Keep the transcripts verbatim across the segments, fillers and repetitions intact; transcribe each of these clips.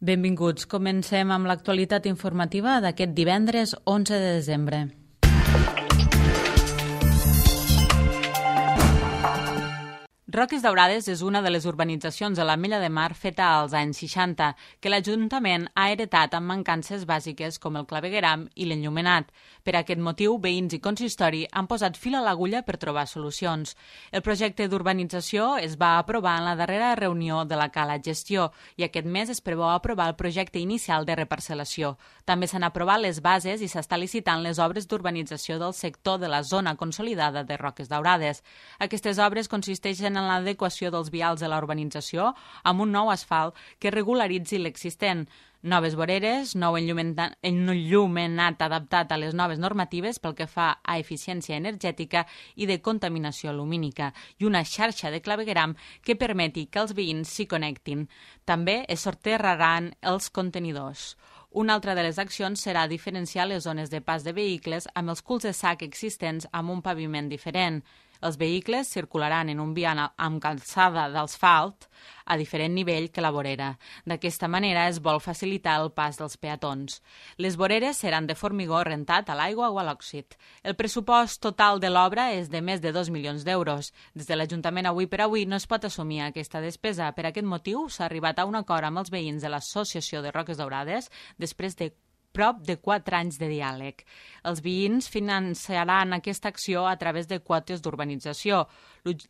Benvinguts. Comencem amb l'actualitat informativa d'aquest divendres onze de desembre. Roques Daurades és una de les urbanitzacions de la Mella de Mar feta als anys seixanta, que l'Ajuntament ha heretat amb mancances bàsiques com el clavegueram i l'enllumenat. Per aquest motiu, veïns i consistori han posat fil a l'agulla per trobar solucions. El projecte d'urbanització es va aprovar en la darrera reunió de la Cala Gestió i aquest mes es preveu aprovar el projecte inicial de reparcel·lació. També s'han aprovat les bases i s'està licitant les obres d'urbanització del sector de la zona consolidada de Roques Daurades. Aquestes obres consisteixen en l'adequació dels vials de la urbanització amb un nou asfalt que regularitzi l'existent, noves voreres, nou enllumenat adaptat a les noves normatives pel que fa a eficiència energètica i de contaminació lumínica i una xarxa de clavegueram que permeti que els veïns s'hi connectin. També es sortejaran els contenidors. Una altra de les accions serà diferenciar les zones de pas de vehicles amb els culs de sac existents amb un paviment diferent. Els vehicles circularan en un vial amb calçada d'asfalt a diferent nivell que la vorera. D'aquesta manera es vol facilitar el pas dels peatons. Les voreres seran de formigó rentat a l'aigua o a l'òxid. El pressupost total de l'obra és de més de dos milions d'euros. Des de l'Ajuntament avui per avui no es pot assumir aquesta despesa. Per aquest motiu s'ha arribat a un acord amb els veïns de l'Associació de Roques Daurades després de prop de quatre anys de diàleg. Els veïns financiaran aquesta acció a través de quotes d'urbanització.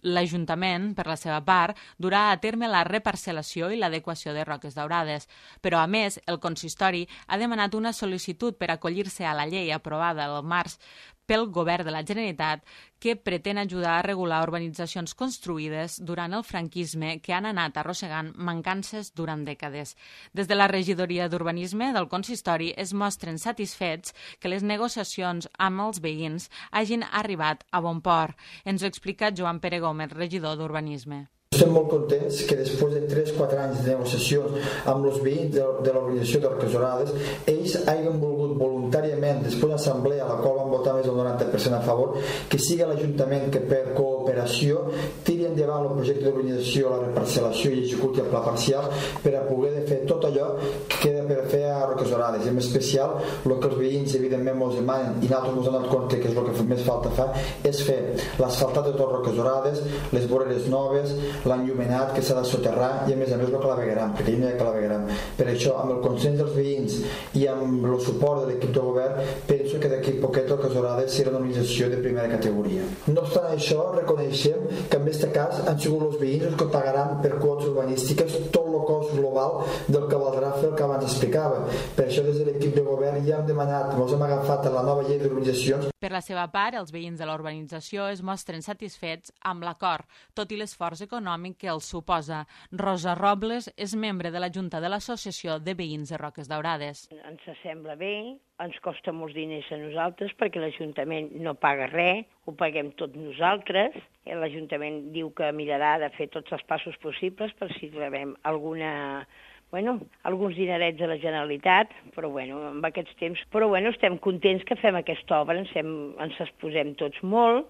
L'Ajuntament, per la seva part, durà a terme la reparcel·lació i l'adequació de Roques Daurades. Però, a més, el consistori ha demanat una sol·licitud per acollir-se a la llei aprovada el març pel Govern de la Generalitat que pretén ajudar a regular urbanitzacions construïdes durant el franquisme que han anat arrossegant mancances durant dècades. Des de la regidoria d'Urbanisme del consistori es mostren satisfets que les negociacions amb els veïns hagin arribat a bon port. Ens ho explica Joan Pere Gómez, regidor d'Urbanisme. Estem molt contents que després de tres o quatre anys de negociacions amb els veïns de, de l'organització de Roques Daurades, ells hagin volgut voluntàriament, després d'una assemblea a la qual van votar més del noranta per cent a favor, que sigui l'Ajuntament que per cooperació tiri endavant el projecte d'urbanització, la reparcel·lació i executi el pla parcial per a poder fer tot allò que queda per fer a Roques Daurades. I en especial, el que els veïns evidentment ens demanen i nosaltres ens hem donat compte que és el que més falta fa, és fer l'asfaltat de tot Roques Daurades, les voreres noves, l'enllumenat que s'ha de soterrar i a més a més el clavegueram, perquè no hi ha clavegueram. Per això, amb el consens dels veïns i amb el suport de l'equip de govern, penso que d'aquí poquet Roques Daurades serà una organització de primera categoria. No obstant això, reconeixem que en aquest cas han sigut els veïns els que pagaran per quotes urbanístiques tot el cost global del que valdrà fer el que abans explicava. Per això, des de l'equip de govern ja hem demanat, ens hem agafat a la nova llei d'urbanitzacions. Per la seva part, els veïns de la urbanització es mostren satisfets amb l'acord, tot i l'esforç econòmic que els suposa. Rosa Robles és membre de la Junta de l'Associació de Veïns de Roques Daurades. Ens sembla bé, ens costa molts diners a nosaltres perquè l'Ajuntament no paga res, ho paguem tots nosaltres. L'Ajuntament diu que mirarà de fer tots els passos possibles per si rebem alguna... Bueno, alguns dinerets de la Generalitat, però bueno, en aquests temps... Però bueno, estem contents que fem aquesta obra, ens, hem, ens exposem tots molt,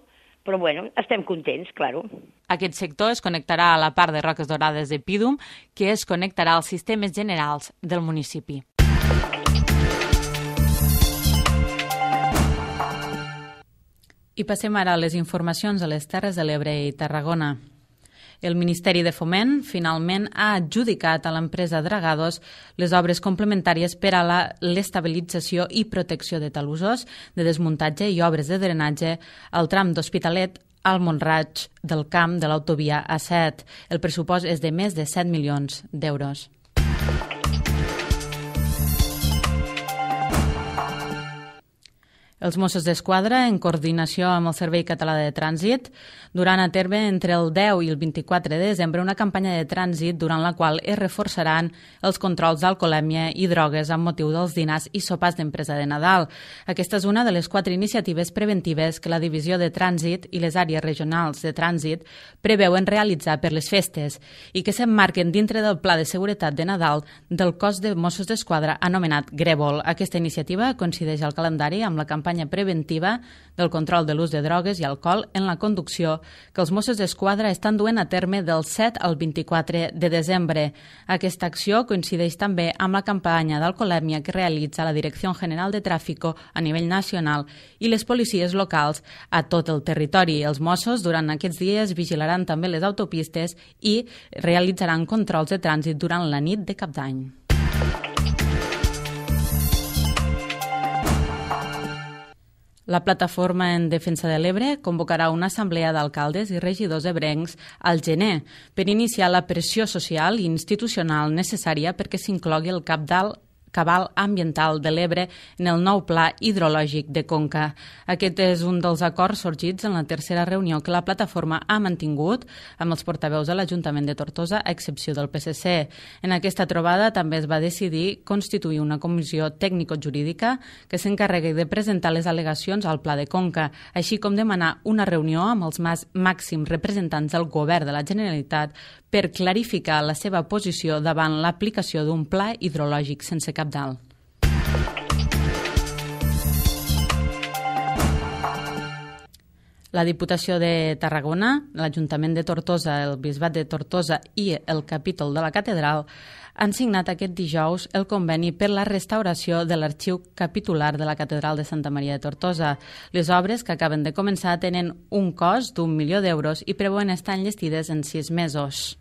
però bueno, estem contents, claro. Aquest sector es connectarà a la part de Roques Daurades de Pídum, que es connectarà als sistemes generals del municipi. I passem ara a les informacions a les Terres de l'Ebre i Tarragona. El Ministeri de Foment finalment ha adjudicat a l'empresa Dragados les obres complementàries per a l'estabilització i protecció de talussos, de desmuntatge i obres de drenatge al tram d'Hospitalet al Mont-Roig del Camp de l'autovia A set. El pressupost és de més de set milions d'euros. Els Mossos d'Esquadra, en coordinació amb el Servei Català de Trànsit, duran a terme entre el deu i el vint-i-quatre de desembre una campanya de trànsit durant la qual es reforçaran els controls d'alcoholèmia i drogues amb motiu dels dinars i sopars d'empresa de Nadal. Aquesta és una de les quatre iniciatives preventives que la Divisió de Trànsit i les àrees regionals de trànsit preveuen realitzar per les festes i que s'emmarquen dintre del Pla de Seguretat de Nadal del Cos de Mossos d'Esquadra anomenat Grèvol. Aquesta iniciativa coincideix al calendari amb la campanya campanya preventiva del control de l'ús de drogues i alcohol en la conducció que els Mossos d'Esquadra estan duent a terme del set al vint-i-quatre de desembre. Aquesta acció coincideix també amb la campanya d'alcoholèmia que realitza la Direcció General de Tràfico a nivell nacional i les policies locals a tot el territori. Els Mossos durant aquests dies vigilaran també les autopistes i realitzaran controls de trànsit durant la nit de Cap d'Any. La Plataforma en Defensa de l'Ebre convocarà una assemblea d'alcaldes i regidors ebrencs al gener per iniciar la pressió social i institucional necessària perquè s'inclogui el cabal cabal ambiental de l'Ebre en el nou pla hidrològic de Conca. Aquest és un dels acords sorgits en la tercera reunió que la plataforma ha mantingut amb els portaveus de l'Ajuntament de Tortosa, a excepció del P S C. En aquesta trobada també es va decidir constituir una comissió tècnico-jurídica que s'encarregui de presentar les al·legacions al pla de Conca, així com demanar una reunió amb els màxims representants del govern de la Generalitat per clarificar la seva posició davant l'aplicació d'un pla hidrològic sense cabdal. La Diputació de Tarragona, l'Ajuntament de Tortosa, el Bisbat de Tortosa i el Capítol de la Catedral han signat aquest dijous el conveni per la restauració de l'arxiu capitular de la Catedral de Santa Maria de Tortosa. Les obres que acaben de començar tenen un cost d'un milió d'euros i preveuen estar enllestides en sis mesos.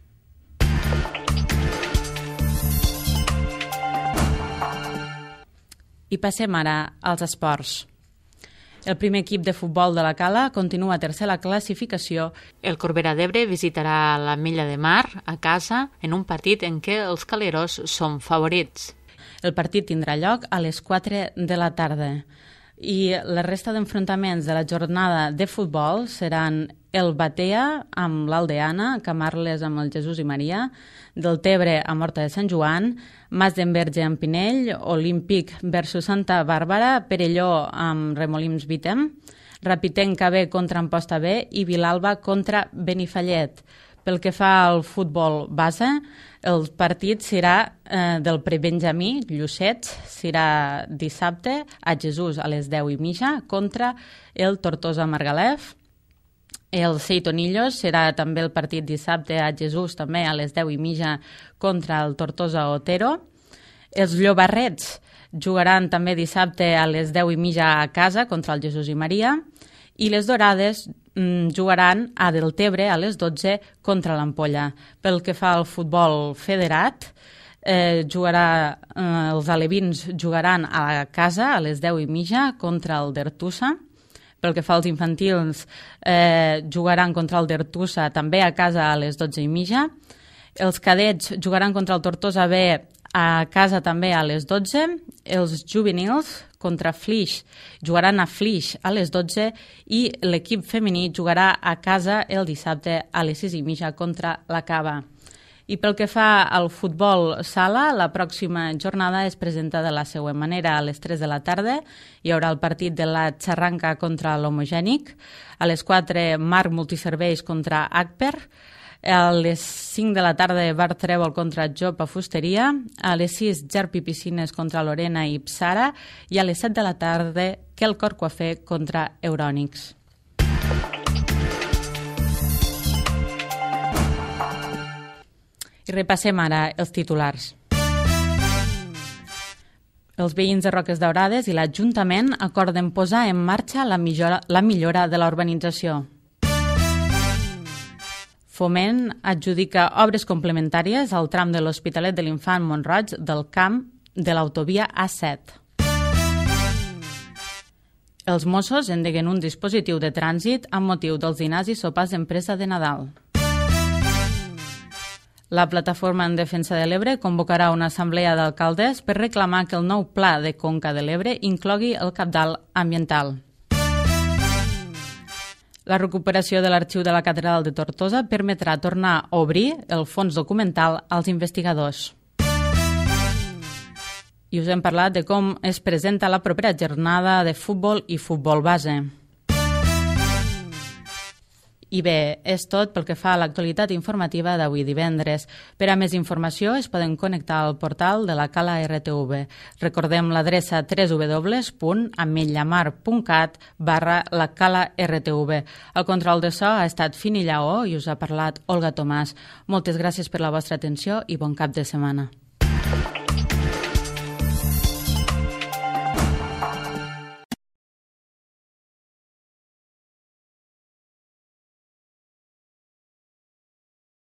I passem ara als esports. El primer equip de futbol de la Cala continua tercer a la classificació. El Corbera d'Ebre visitarà la Milla de Mar a casa en un partit en què els caleros són favorits. El partit tindrà lloc a les quatre de la tarda i la resta d'enfrontaments de la jornada de futbol seran el Batea amb l'Aldeana, Camarles amb el Jesús i Maria, del Tebre amb Horta de Sant Joan, Mas d'Enverge amb Pinell, Olímpic versus Santa Bàrbara, Perelló amb Remolims Vitem, Rapitenca B contra Amposta B i Vilalba contra Benifallet. Pel que fa al futbol base, el partit serà eh, del prebenjamí, Llucets, serà dissabte a Jesús a les deu i mitja contra el Tortosa Margalef. El Seitonillos serà també el partit dissabte a Jesús, també a les deu i mitja contra el Tortosa Otero. Els Llobarrets jugaran també dissabte a les deu i mitja a casa contra el Jesús i Maria. I les Dorades mm, jugaran a Deltebre a les dotze contra l'Ampolla. Pel que fa al futbol federat, eh, jugarà, eh, els alevins jugaran a casa a les deu i mitja contra el Dertussa. Pel que fa als infantils, eh, jugaran contra el Dertussa també a casa a les dotze i mitja. Els cadets jugaran contra el Tortosa B a casa també a les dotze. Els juvenils contra Flix jugaran a Flix a les dotze i l'equip femení jugarà a casa el dissabte a les sis i mitja contra la Cava. I pel que fa al futbol sala, la pròxima jornada es presenta de la següent manera. A les tres de la tarda hi haurà el partit de la Xarranca contra l'Homogènic. A les quatre, Marc Multiserveis contra Agper. A les cinc de la tarda, Bar Trèvol contra Jopa Fusteria. A les sis, Gerpi Piscines contra Lorena i Psara. I a les set de la tarda, Quelcor Coafé contra Eurònics. I repassem ara els titulars. Els veïns de Roques Daurades i l'Ajuntament acorden posar en marxa la millora, la millora de la urbanització. Foment adjudica obres complementàries al tram de l'Hospitalet de l'Infant Mont-roig del camp de l'autovia A set. Els Mossos endeguen un dispositiu de trànsit amb motiu dels dinars i sopars d'empresa de Nadal. La Plataforma en Defensa de l'Ebre convocarà una assemblea d'alcaldes per reclamar que el nou pla de Conca de l'Ebre inclogui el cabdal ambiental. La recuperació de l'arxiu de la Catedral de Tortosa permetrà tornar a obrir el fons documental als investigadors. I us hem parlat de com es presenta la propera jornada de futbol i futbol base. I bé, és tot pel que fa a l'actualitat informativa d'avui divendres. Per a més informació es poden connectar al portal de la Cala R T V. Recordem l'adreça w w w punt ametllamar punt cat barra la Cala R T V. El control de so ha estat Fini Lleó i us ha parlat Olga Tomàs. Moltes gràcies per la vostra atenció i bon cap de setmana.